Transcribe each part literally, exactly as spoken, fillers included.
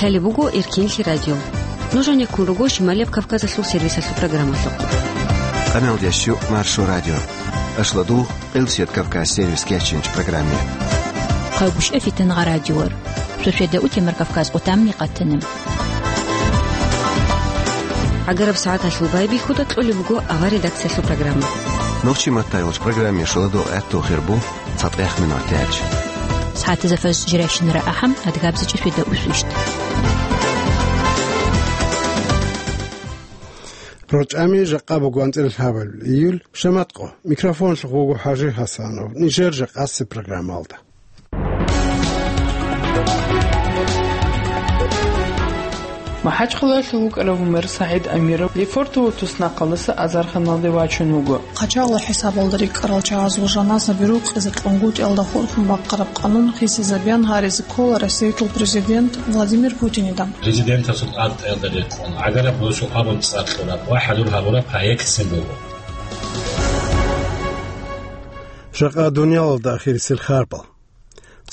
Лъалеб буго Эркинлъи радио. Нуж гьанеккун руго Шималияб Кавказалъул сервисалъул программалъухъ. Къамелдящу Маршо радио. Ашладу Къилсият Кавказ сервис кечинч программе. Хъавгушев Фитангъа радиор. Шошеда утемар Кавказ къутамни къатанем. Агараб сагӀаталъул байбихьуда кьолеб буго авар редакциялъул программа. Нохчи маттайолч программе шуладо гӀатту хирбу. ЦатӀех минутач. СагӀатазафас жирайщинара ахӀам, адгабзачӀи фида усвищт. РочӀами жакъа буго анцӀила лъабабилеб июль, шаматкъо. Микрофонлъухъ вуго ХӀажи Гьасанов. Нижер жакъасеб программалда. МахӀачхъалаялъул вукӀарав мэр СагӀид Амиров Лефортово туснахъалдаса азарханалде вачун вуго. Къачагъла хӀисабалда рикӀкӀарал чагӀазул жаназаби рукъизе кьунгутӀиялда хурхун бахъараб къанун хисизабеян гьаризе ккола Россиялъул президент Владимир Путинида. Президентасул тӀадтӀаялда рекъон, гӀагараб росу абун цӀар кьураб ва хӀадур гьабураб проектцин буго. Жакъа дуниялалда ахирисел харбал.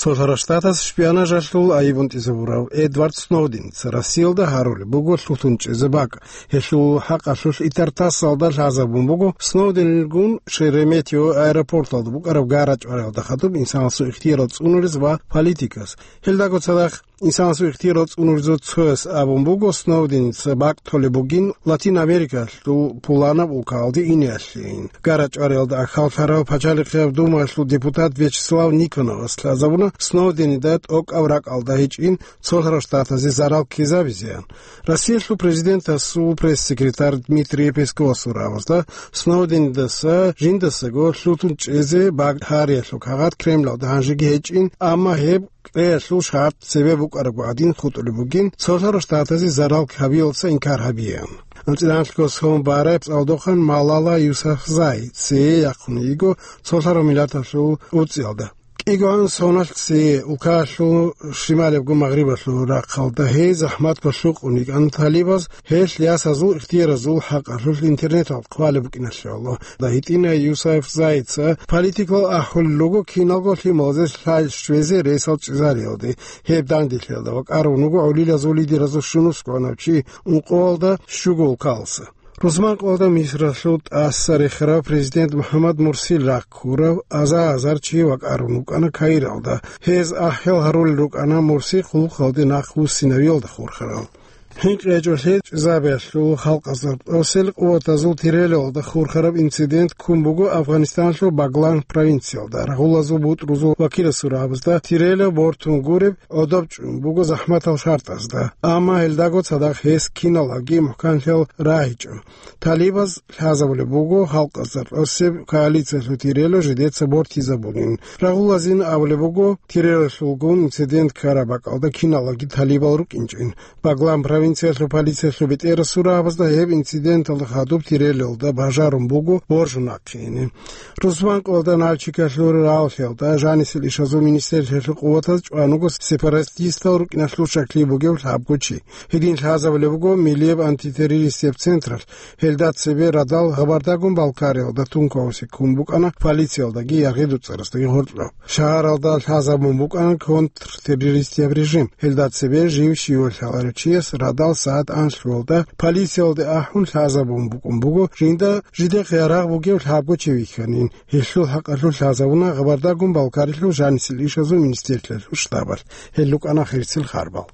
Цолъарал Штатас шпионажалъул айиб унтӀизабурав Эдвард Сноуденца Россиялда гьарулеб буго лъутун чӀезе бакӀ. Гьелъул хӀакъалъулъ ИтартАССалда лъазабун буго Сноуденгун Шереметьево аэропорталда букӀараб гарачӀвариялда хадуб инсанасул ихтиярал цӀунулез ва политикас. Гьелдаго цадахъ инсанасул ихтиярал цӀунулезул цояс абун буго, Сноуденца бакӀ толеб бугин Латин Америкалъул пуланаб улкаялде инеялъейин. ГарачӀвариялда ахӀаллъарав Пачалихъияб Думаялъул депутат Вячеслав Никоновас лъазабуна Сноуденида тӀокӀаб ракӀалда гьечӀин цолъарал штатазе зарал ккезабизеян. Россиялъул президентасул пресс-секретарь Дмитрий Песковасул рагӀабазда Сноуденидаса жиндасаго лъутун чӀезе бакӀ гьариялъул кагъат Кремлалда гьанжеги гьечӀин, амма гьеб кьеялъул шартӀ цебе букӀарабго гӀадин хутӀулеб бугин, цолъарал штатазе зарал ккабиялдаса инкар гьабеян. АнцӀила анлъго сон барай цӀалдохъан Малала Юсафзай цее яхъун йиго цолъарал миллаталъул уцӀиялда. КӀигоан соналъ цее улкаялъул шималиябго магърибалъул рахъалда гьей захӀматго лъукъун йикӀан талибаз гьелъ ясазул ихтияразул хӀакъалъулъ интернеталда хъвалеб букӀиналъе. Аллагьда гьитӀинай Юсафзайца политикал ахӀулел руго киналго лъималазе лъай щвезе ресал чӀезариялде, гьеб данделъиялда ва кӀарун вуго гӀолилазул лидеразул щунусгӀанав чи ункъоялда щуго улкалса. Рузманкъоялда Мисралъул тӀаса рехарав президент МухӀаммад Мурсил рахъ ккурав аза-азар чи вакӀарун вукӀана Каиралда. Гьез ахӀел гьарулел рукӀана Мурси хъулухъалде нахъ вуссинавиялда хурхарал. ХӀинкъи гьечӀолъи чӀезабиялъул халкъазда тӀасел къуватазул тирелалда хурхараб инцидент ккун буго Афганистаналъул Баглан провинциялда. Рагъулазул бутӀрузул вакиласул рагӀабазда тирела бортун гуреб гӀодоб чӀун буго захӀматал шартӀазда, амма гьелдаго цадахъ гьес киналги мухӀканлъиял рагьичӀо. Талибаз лъазабулеб буго халкъазда тӀасеб коалициялъул тирела жидеца бортизабунин. Рагъулазин абулеб буго тирелалъулгун инцидент ккараб бакӀалда киналги талибал рукӀинчӀин. Баглан провинциялъул полициялъул бетӀерасул рагӀабазда гьеб инциденталда хадуб тирелалда бажарун буго боржун ахъине. Рузманкъоялда Нальчикалъул рагӀаллъиялда жанисел ишазул министерствоялъул къуватаз чӀван вуго сепаратистал рукӀиналъул щаклъи бугев лъабго чи. Гьедин лъазабулеб буго миллияб антитеррористияб централъ, гьелда цебе радал Гъабардагун Балкариялда тункаусеккун букӀана полициялдаги яргъи дуцӀарасдаги гъоркьоб. Шагьаралда лъазабун букӀана контртеррористияб режим. Гьелда цебе жив щивав лъаларев чияс радал сагӀат анлъуялда полициялде ахӀун лъазабун букӀун буго, жинда жидехъ ярагъ бугев лъабго чи вихьанин. Гьелъул хӀакъалъулъ лъазабуна Гъабардагун Балкарилъул жанисел ишазул министерствоялъул штабалъ. Гьел рукӀана хирсил харбал.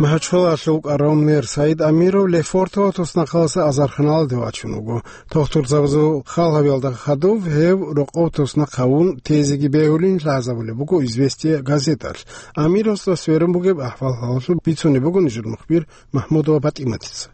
МахӀачхъалаялъул вукӀарав мэр СагӀид Амиров Лефортово туснахъалдаса азарханалде вачун вуго. Тухтурзабазул хал гьабиялда хадув гьев рокъов туснахъ гьавун тезеги бегьулин лъазабулеб буго «Известия» газеталъ. Амировасда сверун бугеб ахӀвал-хӀалалъул бицунеб буго нижер мухбир МахӀмудова ПатӀиматица.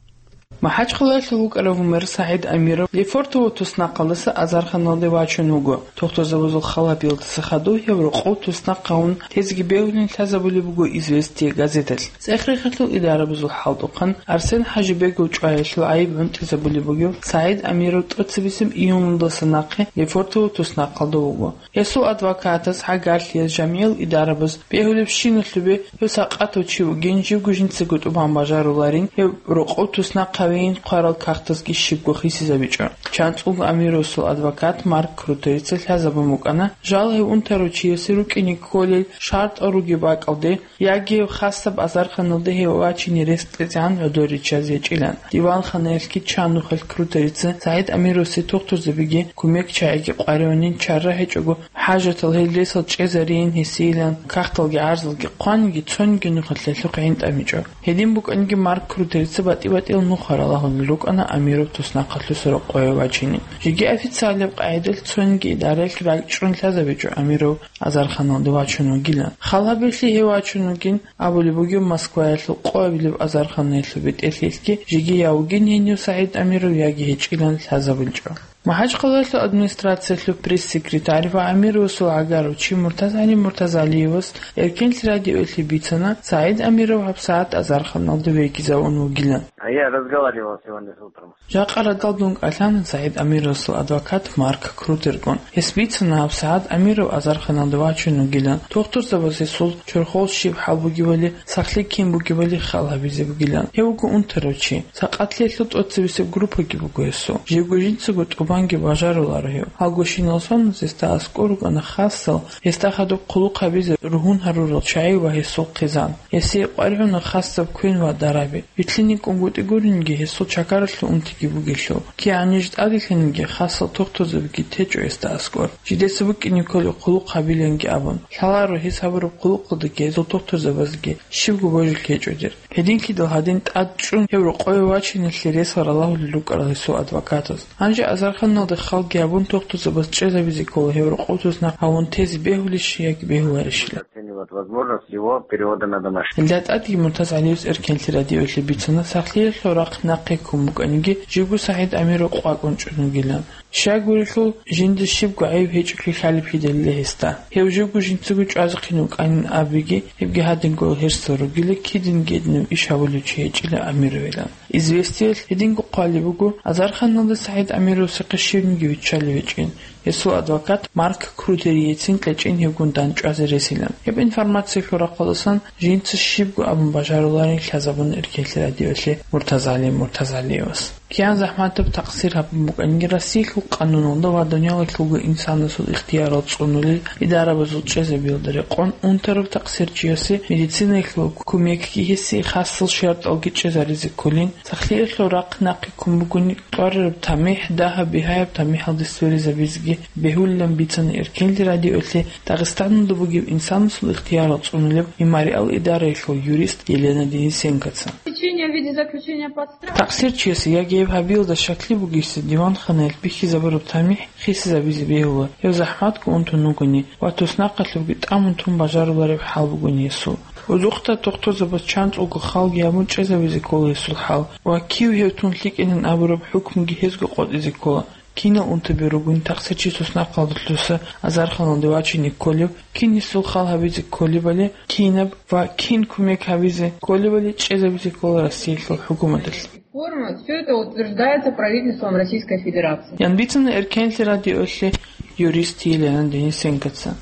МахӀачхъалаялъул вукӀарав мэр СагӀид Амиров Лефортово туснахъалдаса азарханалде вачун вуго. Тухтурзабазул хал гьабиялдаса хадув гьев рокъов туснахъ гьавун тезеги бегьулин лъазабулеб буго «Известия» газеталъ. ЦӀех-рехалъул идарабазул хӀалтӀухъан Арсен ХӀажибегов чӀваялъул гӀайиб гӀунтӀизабулеб бугев СагӀид Амиров тӀоцебесеб июндаса нахъе Лефортово туснахъалда вуго. Гьесул адвокатас, гӀагарлъиялъ, жамигӀал идарабаз бегьулебщиналъубе гьев сакъатав чи вугин, живго жинцаго тӀубан бажаруларин, гьев рокъов туснахъ вейин хъварал кагътазги щибго хисизабичӀо. ЧанцӀулго Амировасул адвокат Марк Крутерица лъазабун букӀана, жал гьев унтарав чиясе рукӀине кколел шартӀал ругеб бакӀалде, яги гьев хасаб азарханалде гьев вачине рес кьезегӀан гӀодор риччазе гьечӀилан. Диванханаялъги чан нухалъ Крутерица СагӀид Амировасе тухтурзабиги, кумек чагӀиги къваригӀунин чара гьечӀого, хӀажатал гьел ресал чӀезарейин гьесийилан кагъталги гӀарзалги хъваниги, цониги нухалъ гьелъухъ гӀин тӀамичӀо. Гьедин букӀаниги, Марк Крутерица батӀи-батӀиял нуха ралагьулел рукӀана Амиров туснахъалъуса рокъове вачине. Жеги официалияб къагӀидалъ цониги идараялъ ракӀчӀун лъазабичӀо Амиров азарханалде вачун вугилан. Хал гьабиялъе гьев вачун вугин абулеб бугеб Москваялъул къоабилеб азарханаялъул бетӀерлъиялъги, жеги я вугин гьенив СагӀид Амиров, яги гьечӀилан лъазабулчӀо. МахӀачхъалаялъул администрациялъул пресс-секретарь ва Амировасул гӀагарав чи МуртазгӀали МуртазгӀалиевас Эркенлъи радиоялъе бицана, СагӀид Амиров гьабсагӀат азарханалде вегизавун вугилан. А я разговаривал сегодня с утром. Жакъа радал дун кӀалъана СагӀид Амировасул адвокат Марк Крутеркъун. Гьес бицана гьабсагӀат Амиров азарханалде вачун вугилан, тухтурзабаз гьесул чорхол щиб хӀал бугебали, сахлъи кин бугебали хал гьабизе бугилан. Гьев вуго унтарав чи. Сакъатлъиялъул тӀоцебесеб группаги буго гьесул. Живго жинцаго тӀубанги бажаруларо гьев. Гьалгощинал соналъ гьесда аскӀор рукӀана хасал, гьесда хадуб хъулухъ гьабизе ругьун гьарурал чагӀи ва гьесул хъизан. Гьесие къваригӀуна хасаб квен ва дараби. Вилълъине кӀунгутӀи гуринги, гьесул чакаралъув унтиги бугелъул. КигӀан ниж тӀаделъаниги, хасал тухтурзабиги течӀо гьесда аскӀор, жидеца букӀине кколеб хъулухъ гьабиланги абун. Лъаларо гьес гьабураб хъулухъалдаги гьезул тухтурзабазги щибго божилъи гьечӀодир. Гьединлъидал гьадин тӀад чӀун гьев рокъове вачиналъе ресал ралагьулел рукӀарал гьесул адвокатас. Гьанже азарханалде халги гьабун, тухтурзабаз чӀезабизе ккола гьев рокъов туснахъ гьавун тезе бегьулищ яги бегьуларищила. Оценивать возможность его перевода на домашний. Гьелда тӀадги МуртазгӀалиевас Эркенлъи радиоялъе бицана сахлъиялъул рахъ нахъе ккун букӀаниги, живго СагӀид Амиров къвакӀун чӀун вугилан. Щайгурелъул, жинда щибго гӀайиб гьечӀолъи лъалеб хьидалила гьесда. Гьев живго жинцаго чӀвазехъин вукӀанин абиги, гьебги гьадинго гьерсал ругила, кидинги гьединаб иш гьабулев чи гьечӀила Амировилан. Известиялъ гьединго хъвалеб буго, азарханалде СагӀид Амировасехъе щибниги виччалев гьечӀин. Гьесул адвокат Марк Крутерицин кьечӀин гьевгун дандчӀвазе ресилан. Гьеб информациялъул рахъалдасан жинца щибго абун бажаруларин лъазабуна Эркенлъи радиоялъе МуртазгӀали МуртазгӀалиевас. КигӀан захӀматаб такъсир гьабун букӀаниги, Россиялъул къануналда ва дуниялалъулго инсанасул ихтиярал цӀунулел идарабазул чӀезабиялда рекъон унтарав такъсирчиясе медицинаялъул кумекги, гьесие хасал шартӀалги чӀезаризе кколин, сахлъиялъул рахъ нахъе ккун бугони, тӀварараб тамихӀ, дагьаб-бигьаяб тамихӀалде сверизабизеги бегьулилан бицана Эркенлъи радиоялъе Дагъистаналда бугеб инсанасул ихтиярал цӀунулеб мемориал идараялъул юрист Елена Денисенкоца. Заключение в виде заключения под стражу. Такъсирчиясе яги гьеб гьабиялда щаклъи бугесда диванханаялъ бихьизабураб тамихӀ хисизабизе бегьула, гьев захӀматго унтун вугони ва туснахъалъубги тӀамун тун бажарулареб хӀал бугони гьесул. Гьудухъда тухтурзабаз чанцӀулго халги гьабун чӀезабизе ккола гьесул хӀал ва кив гьев тун лъикӀилан абураб хӀукмуги гьезго къотӀизе ккола. Кинал унтаби ругони такъсирчи туснахъалдалъуса азарханалде вачине кколев, кин гьесул хал гьабизе кколебали, кинаб ва кин кумек гьабизе кколебали чӀезабизе ккола Россиялъул хӀукуматалъ. Форма, всё это утверждается правительством Российской Федерации. Ян бицана Эркенлъи радиоялъе юрист Елена Денисенкоца.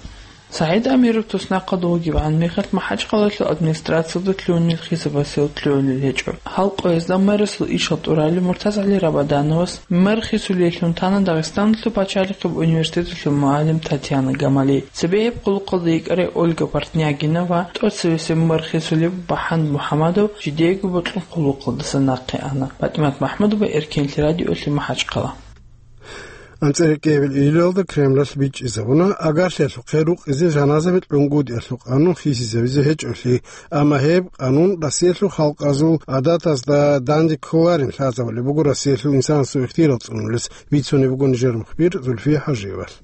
СагӀид Амиров туснахъалда вугебгӀан мехалъ МахӀачхъалаялъул администрациялда лъугьунел хисабасел лъугьунел гьечӀо. Гьал къоязда мэрасул ишал тӀуралев МуртазгӀали Рабадановас мэр хисулеллъун тана Дагъистаналъул пачалихъеб университеталъул мугӀалим Татьяна Гамали, цебе гьеб хъулухъалда йикӀарай Ольга Портнягина ва тӀоцевесев мэр хисулев БахӀан МухӀамадов жидеего бокьун хъулухъалдаса нахъе ана. ПатӀимат МахӀмудова, Эркенлъи радиоялъе, МахӀачхъала. АнцӀила кӀиабилеб июлалда Кремлалъ бичӀчӀизабуна агарлъиялъухъе рукъизе жаназаби кьунгутӀиялъул къанун хисизавизе гьечӀолъи, амма гьеб къанун Россиялъул халкъазул гӀадатазда данде кколарин лъазабулеб буго Россиялъул инсанасул ихтиярал цӀунулес, бицунеб буго нижер мухбир Зульфия Хажиевалъ.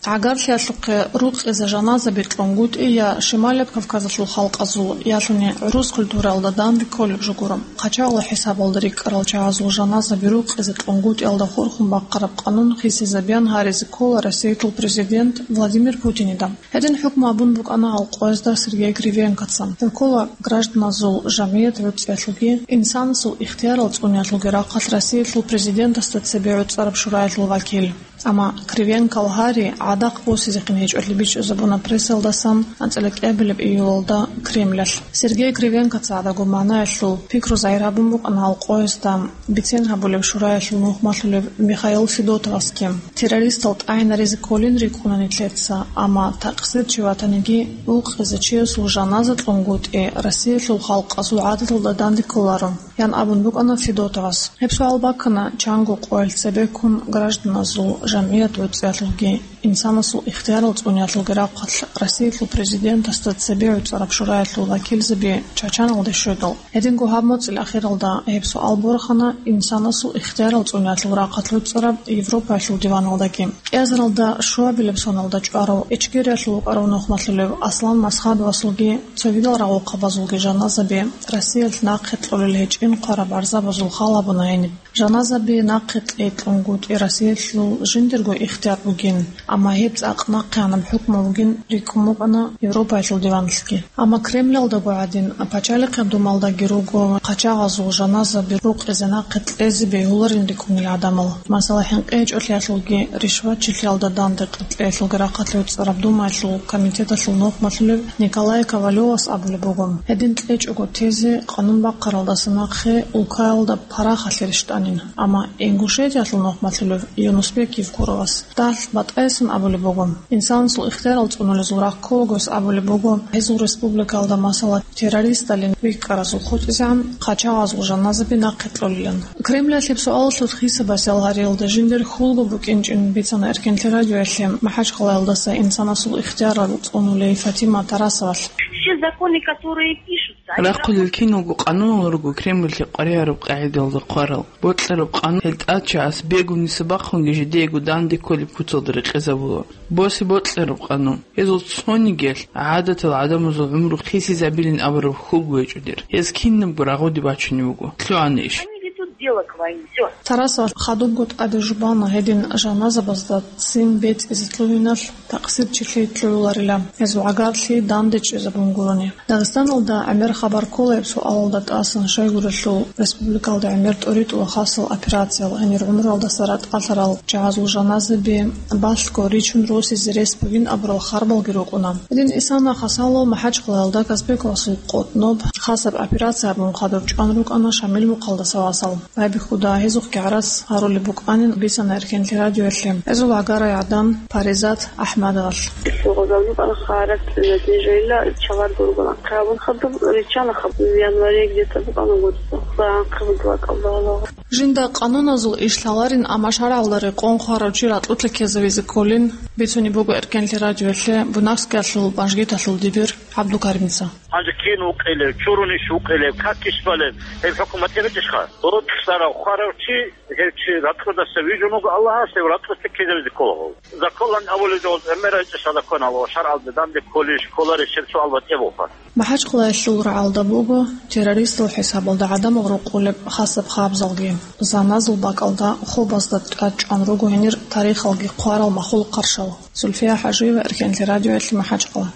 Агарлъиялъухъе рукъизе жаназаби кьунгутӀи я Шималияб Кавказалъул халкъазул, ялъуни гӀурус культураялда данде кколеб жо гуро. Къачагъал хӀисабалда рикӀкӀарал чагӀазул жаназаби рукъизе кьунгутӀиялда хурхун бахъараб къанун хисизабеян гьаризе ккола Россиялъул президент Владимир Путинида. Гьедин хӀукму абун букӀана гьал къоязда Сергей Кривенкоца. Гьев ккола гражданазул жамгӀият гӀуцӀиялъулги инсанасул ихтиярал цӀуниялъулги рахъалъ Россиялъул президентасда цебе гӀуцӀараб шураялъул вакил. Амма Кривенкол гьари гӀадахъ босизехъин гьечӀолъи бичӀчӀизабуна прессалдасан анцӀила кӀиабилеб июлалда Кремлалъ. Сергей Кривенкоца гӀадаго магӀнаялъул пикру загьир гьабун букӀана гьал къоязда бицен гьабулеб шураялъул нухмалъулев Михаил Федотовасги. Террористал тӀагӀинаризе кколин рикӀкӀуна нилъеца, амма такъсир чи ватаниги, ункъизе чиясул жаназа кьунгутӀи Россиялъул халкъазул гӀадаталда данде кколаро, ян абун букӀана Федотовас. Гьеб суал баккана чанго къоялъ цебеккун гражданазул жамгӀият гӀуцӀиялъулги инсанасул ихтиярал цӀуниялъулги рахъалъ Россиялъул президентасда цебе гӀуцӀараб шураялъул вакилзаби Чачаналде щведал. Гьединго гьаб моцӀил ахиралда гьеб суал борхана инсанасул ихтиярал цӀуниялъул рахъалъ гӀуцӀараб Европаялъул диваналдаги. КӀиазаралда щуабилеб соналда чӀварав Ичкериялъул вукӀарав нухмалъулев Аслан Масхадовасулги цогидал рагъухъабазулги жаназаби Россиялъ нахъе кьолел гьечӀин хъвараб гӀарзабазул хал гьабуна гьениб. Жаназаби нахъе кьеклъунгутӀи Россиялъул жиндирго ихтияр бугин, амма гьеб цӀакъ нахъегӀанаб хӀукму бугин рикӀкӀун букӀана Европаялъул диваналъги. Амма Кремлалдаго гӀадин, пачалихъеб думалдаги руго хъачагъазул жаназаби рукъизе нахъе кьезе бегьуларин рикӀкӀунел гӀадамал. Масала, хӀинкъи гьечӀолъиялъулги ришватчилъиялда данде кьеялъулги рахъалъ гӀуцӀараб Думаялъул комитеталъул нухмалъулев Николай Ковалёвас абулеб буго, гьедин кьечӀого тезе къанун бахъаралдаса нахъе улкаялда парахалъе рещтӀанин, амма Ингушетиялъул нухмалъулев Юнусбек Евкуровас дагь батӀаясан абулеб буго, инсанасул ихтиярал цӀунулезул рахъ кколагояс абулеб буго, гьезул республикаялда, масала, террористалин вихьаразул хутӀизегӀан хъачагъазул жаназаби нахъе кьолилан. Кремлалъ гьеб суалалъулъ хисаб басиялъ гьариялда жиндир хьулго букӀинчӀин бицана Эркенлъи радиоялъе МахӀачхъалаялдаса инсанасул ихтиярал цӀунулей Фатима Тарасовалъ. Все законы, которые пишутся, они Рахъулел киналго къануналги руго Кремлалъе къваригӀараб къагӀидаялда хъварал. Бокьараб къанун гьел тӀадчагӀаз бегунниса бахъунги жидеего данде кколеб куцалда рекъезабула. Босе бокьараб къанун. Гьезул цонигиялъ гӀадатал гӀадамазул гӀумру хисизабилин абураб хьулго гьечӀо дир. Гьез кинабго рагъуде бачунеб буго. ЛъугӀана иш. Они ведут дело к войне. Всё. Тарасов хадубго тӀаде жубана гьедин жаназабазда ццин бецӀизе лъугьиналъ такъсир чилъи лъугьуларила, гьезул гӀагарлъи данде чӀезабун гурони. Дагъистаналда гӀемер хабар ккола гьеб суалалда тӀасан, щайгурелъул республикалда гӀемер тӀоритӀула хасал операциял, гьенир гӀумруялдаса ратӀалъарал чагӀазул жаназаби балъго ричун росизе рес бугин абурал харбалги рукӀуна. Гьедин исана хасало МахӀачхъалаялда Казбековасул къотӀноб хасаб операция гьабун хадуб чӀван рукӀана Шамил мухъалдаса васал. Байбихьуда гьезухъги гӀарац гьарулеб букӀанин бицана Эркенлъи радиоялъе гьезул гӀагарай гӀадан Паризат АхӀмадовалъ. Гъозалда харат нетижайилла чавар гургуна. Хъабун хадуб риччана хаб январе где-то букӀана гуцӀ. Ва хъабун два кабдала. Жинда къануназул иш лъаларин, амма шаргӀалда рекъон хварав чи ратӀлъуца ккезавизе кколин, бицунеб буго Эркенлъи радиоялъе Буйнакскиялъул Банжгиталъул дибир ГӀабдулкаримица. Гьанже кин вукъилев, чурунищ вукъилев, какищ балев, гьеб хӀукумат гьечӀищха? Рокьарав, хварав чи, гьев чи ратӀлъудаса вижун вуго Аллагьас, гьев ратӀлъуца ккезавизе кколаго. Законлъан абулеб жо гӀемерайчӀищха законалъ ва шаргӀалда данде кколищ, кколарищ гьеб суал батӀияб буго. МахӀачхъалаялъул рагӀалда буго террористал хӀисабалда гӀадамал рукъулеб хасаб хабзалги. Жаназул бакӀалда хобазда тӀад чӀван руго гьенир тарихалги хъварал махлукъ-къаршал. Зульфия ХӀажиева, Эркенлъи радиоялъе, МахӀачхъала.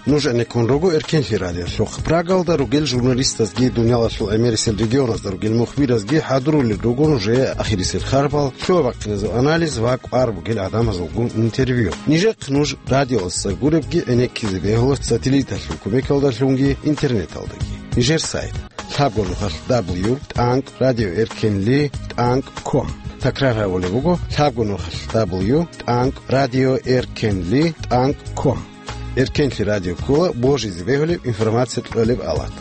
Нуж гӀенеккун руго Эркенлъи радиолъухъ. Прагалда ругел журналистазги, дуниялалъул гӀемерисел регионазда ругел мухбиразги хӀадурулел руго нужее ахирисел харбал, лъугьа-бахъиназул анализ ва кӀвар бугел гӀадамазулгун интервью. Нижехъ нуж радиоялдаса гуребги гӀенеккизе бегьула сателлиталъул кумекалдалъунги интернеталдаги. Нижер сайт: лъабго нухалъ дабл ю тӀанкӀ радио эркенли тӀанкӀ ком. Такрар гьабулеб буго: лъабго нухалъ дабл ю тӀанкӀ радио эркенли тӀанкӀ ком. Эркенлъи радио ккола божизе бегьулеб информация кьолеб алат.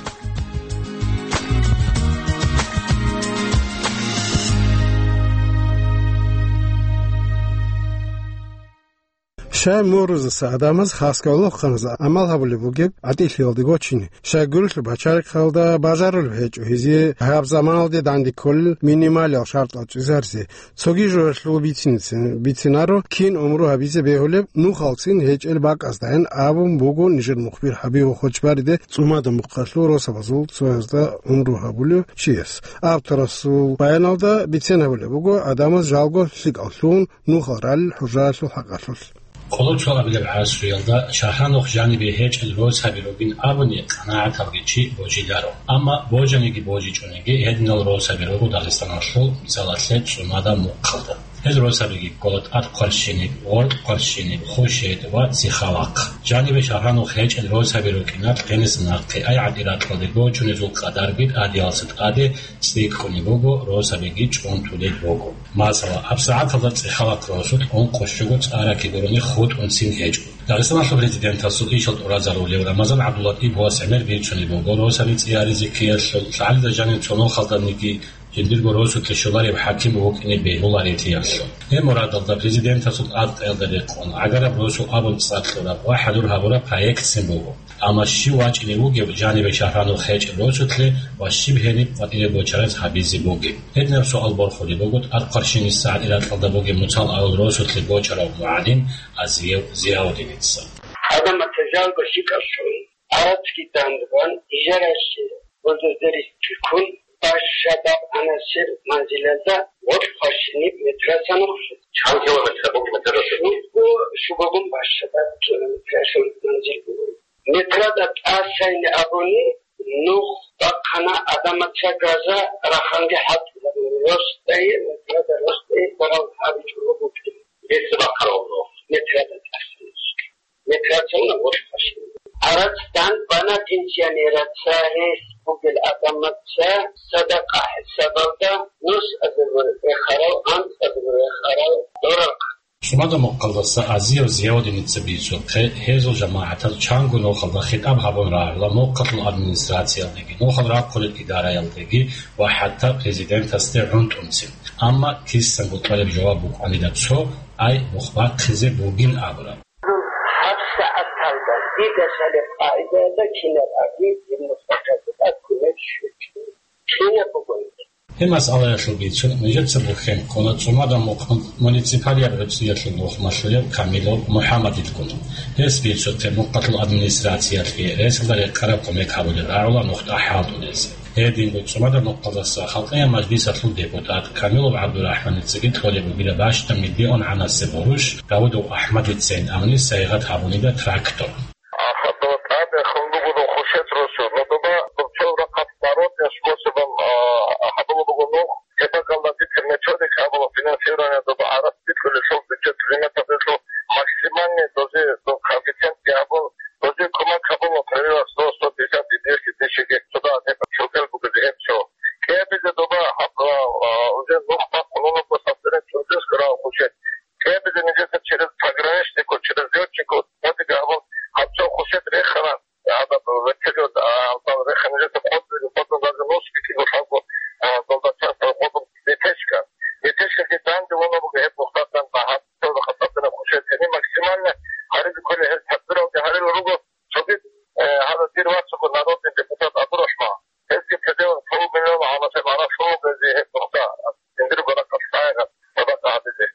Щай мурузаса гӀадамаз хасго лохъаназа гӀамал гьабулеб бугеб гӀатӀилъиялде гочине? Щай гурелъул пачалихъалда бажарулеб гьечӀо гьезие гьаб заманалде данде кколел минималиял шартӀал чӀезаризе? Цоги жугьалъул бицин-, бицинаро, кин умру гьабизе бегьулеб нухалцин гьечӀел бакӀаздайин абун буго нижер мухбир ХӀабибул Хочбариде ЦӀумада мухъалъул росабазул цоязда умру гьабулев чияс. Авторасул баяналда бицен гьабулеб буго гӀадамаз жалго лъикӀал лъугьун нухал ралел хӀужаялъул хӀакъалъулъ. Къоло цоабилеб гӀасруялда шагьранухъ жанибе гьечӀел росаби ругин абуни къанагӀаталги чи божиларо. Амма божаниги божичӀониги гьединал росаби руго Дагъистаналъул, мисалалъе, ЦӀумада Мухъалда. Гьел росабиги ккола тӀад хъварщиниб, гъоркь хъварщиниб, хушет ва цихавахъ. Жанибе шагьранухъ гьечӀел росаби рукӀиналъ гьениса нахъе ай гӀатӀи ракьалде гочунезул къадарги тӀадиялса тӀаде цӀикӀкӀунеб буго, росабиги чӀунтулел руго. Масала, гьабсагӀаталда цӀихавахъ росулъ ункъо щуго цӀараки гурони хутӀунцин гьечӀо. Дагъистаналъул президентасул ишал тӀуразарулев Рамазан ГӀабдуллатӀиповас гӀемер бицунеб буго, росаби цӀи гьаризе ккеялъул, лъагӀалида жанив цо нухалданиги жиндирго росулъе щоларев хӀаким вукӀине бегьуларелъиялъул. Гьеб мурадалда президентасул тӀадкъаялда рекъон, гӀагараб росу абун цӀар кьураб ва хӀадур гьабураб проектцин буго. Амма щив вачӀине вугев жаниве шагьранухъ гьечӀеб росулъе ва щиб гьениб къватӀире бочараз гьабизе бугеб? Гьединаб суал борхулеб буго тӀад хъварщинисагӀат Иракьалда бугеб Муцал авал росулъе бочарав мугӀалим Азиев Зияудиница. Гьадамат жалго лъикӀалъун, гӀарацги дандбан, ижаралъе бульдозерисги ккун, Башшабаб Анасир манзилалда гъоркь хъварщиниб метраса нухлъи. Чан километр буго метраса? Шуго, шугогун башшабаб километрашул манзил буго. Метрада тӀасайни абуни, нух бахъана адамаца газа раханги хӀалтӀизабун, росдае, метрада росдае барал гьабичӀого букӀин. Гьесда бахъарав нух? Метрада тӀасайни. Метрацауна гъоркь хъварщиниб. Гьарац дандбана пенсионераца, гьес бугел адамаца садакъа хӀисабалда нус азарго рехарал, анцӀ азарго рехарал дорахъ. ЦӀумада Мухъалдаса Азиев Зияудиница бицухъе, гьезул жамагӀатаз чанго нухалда хитӀаб гьабун рагӀула Мухъалъул администрациялдеги, нухал рахъулел идараялдеги ва хӀатта президентасде гӀунтӀунцин. Амма кисанго кьолеб жаваб букӀанила цо: «Ай, нух бахъизе бугин», – абураб. ГьабсагӀаталда дида лъалеб къагӀидаялда кинаб аги дир нухалъазда кумек щвечӀо. Кинаб бугониги. Гьеб масъалаялъул бицун нижеца бухьен ккола ЦӀумада Мухъ муниципалияб гӀуцӀиялъул нухмалъулев Камилов МухӀаммадилгун. Гьес бицухъе Мухъалъул администрациялъе ресалда рекъараб кумек гьабулеб рагӀула нухда хӀалтӀулез. Гьединго ЦӀумада Мухъалдаса Халкъиял мажлисалъул депутат Камилов ГӀабдурахӀманицаги кьолеб бугила бащдаб миллион гӀанасеб гъурущ Давудов АхӀмадицайин абуни сайигъат гьабунида трактор. Ахадо тӀаде хун буго хушет росу, но доба дурчел рахъат народный способом, а, гьабула буго нух, гьеб бакӀалда бицер методика гьабула финансирование, доба гӀарац бикьулелъул бюджет лимиталъулъ максимальный дозе, до коэффициентги гьабун, дозе кумек гьабула, например, сто, сто пятьдесят и двести тысяч гектар, цода гьеб чоркел буго гьеб цо. КӀиабизе доба гьаб, а, а, уже нух бахъун унаго сабдерен чордес грав хушет. КӀиабизе нижеца через пограничнику, через лётчику, гьадига гьабун, гьаб цо хушет рехана, гьадаб вертолёт, а, гьабал рехана нижеца къотӀизе, къотӀун даже нус бикьиго лъалго, а, долдасаца къотӀун летешка. Летешкаги данде вуна буго гьеб нухдадан, гьаб цо хатӀабина хушет. Гьениб максимально гьаризе кколей гьез тадбиралги гьарила руго, цогид, э, гьадаб дир вацаго народный депутат Абдурахман. Гьезги пределах полмиллион гьанасеб гьанас лъугьунези гьеб нухда, жиндирго рахъалъ сайгъат садакъа гьабизе,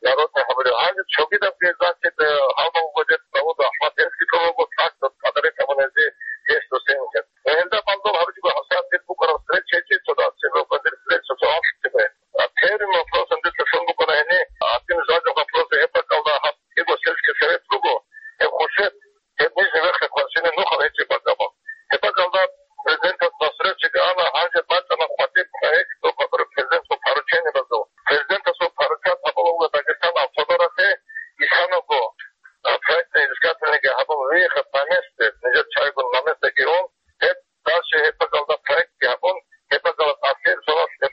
народный гьабулев. Гьанже цогидабги, значит, э, гьалмагъго дер Давуд АхӀмад, гьезги тӀолого трактор подарить гьабунези гьес досенихъе. Ва гьелда балдул гьабичӀого гьабсагӀат дир букӀараб встреча гьечӀеб цо дас, цебе букӀан дир встреча цо анлъ цебе. А первым вопросом дица лъун букӀана гьени, один из важных вопросов гьеб бакӀалда гьаб кӀиго сельский совет буго, гьеб хушет, гьеб нижний верхний хъварщинаб нухал гьечӀеб бакӀ абун. Гьеб бакӀалда президентас насречиги ана, гьанже бачӀана хъватӀиб проект, доб гьабураб президентасул поручениебазул. Президентасул поручать гьабула Дагъистан автодоралъе исанаго, а, проектно-изыскательныйги гьабун, выехать на месте, нижер чайгун на местеги ун, гьеб дальше гьеб бакӀалда проектги гьабун, гьеб бакӀалда тӀасир соналъ гьеб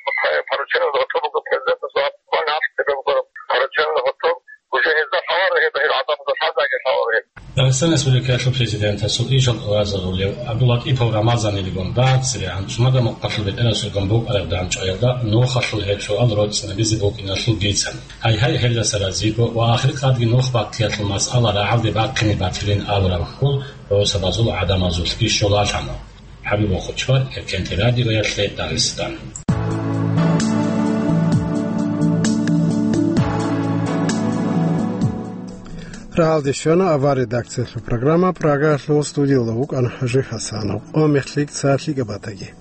поручение гьоркьоб буго президентасул, гьаб кван гьаб гьеб буго поручение гьоркьоб, уже гьезда лъаларо гьеб, гьел гӀадамазда лъазаги лъаларо гьеб. Дагъистан Республикаялъул президентасул ишал тӀуразарулев ГӀабдуллатӀипов Рамазанилгун дагьабсиригӀан ЦӀумада Мухъалъул бетӀерасулгун букӀараб дандчӀваялда нухалъул гьеб суал роцӀцӀинабизе букӀиналъул бицан. Гьайгьай, гьелдаса разиго ва ахиркъадги нух бахъиялъул масъала рагӀалде бахъине батилин абураб хьул росабазул гӀадамазулъги щолалъана. ХӀабибул Хучбар, Эркенти радиоялъе Дагъистан. Рагьалде щвана авар редакциялъул программа, Прагаялъул студиялда вукӀана ХӀажи Хасанов. О мехлъи цалъи габатаги.